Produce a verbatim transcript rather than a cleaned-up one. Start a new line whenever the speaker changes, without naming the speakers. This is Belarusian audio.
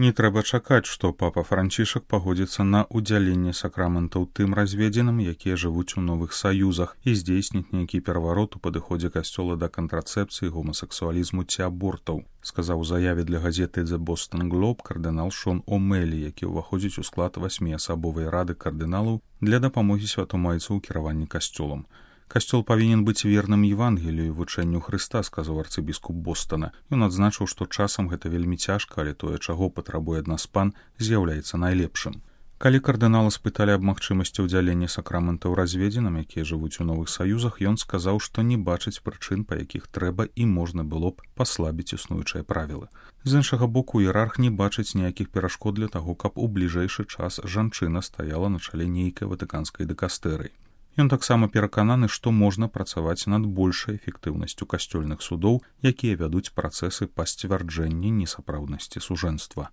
Не трэба чакаць, што папа Францішак пагодзіцца на ўдзяленне сакраментаў тым разведзеным, якія жывуць у новых саюзах, і здзейсніць нейкі пераварот у падыходзе касцёла да кантрацэпцыі, гомасексуалізму ці абортаў, сказаў у заяве для газеты The Boston Globe кардынал Шон О'Мэлі, які ўваходзіць у склад васьміасабовай рады кардыналаў для дапамогі святому айцу ў кіраванні касцёлам. Касцёл павінен быць верным Евангелію і вучэнню Хрыста, сказаў арцыбіскуп Бостона. Ён адзначыў, што часам гэта вельмі цяжка, але тое, чаго патрабуе ад нас пан, з'яўляецца найлепшым. Калі кардынала спыталі аб магчымасці ўдзялення сакраментаў разведзеным, якія жывуць у новых саюзах, ён сказаў, што не бачыць прычын, па якіх трэба і можна было б паслабіць існуючыя правілы. З іншага боку, іерарх не бачыць ніякіх перашкод для таго, каб у бліжэйшы час жанчына стаяла на чале нейкай ватыканскай дыкастэрыі. Ён таксама перакананы, што можна працаваць над большай эфектыўнасцю касцёльных судоў, якія вядуць працэсы па сцвярджэнні несапраўднасці сужэнства.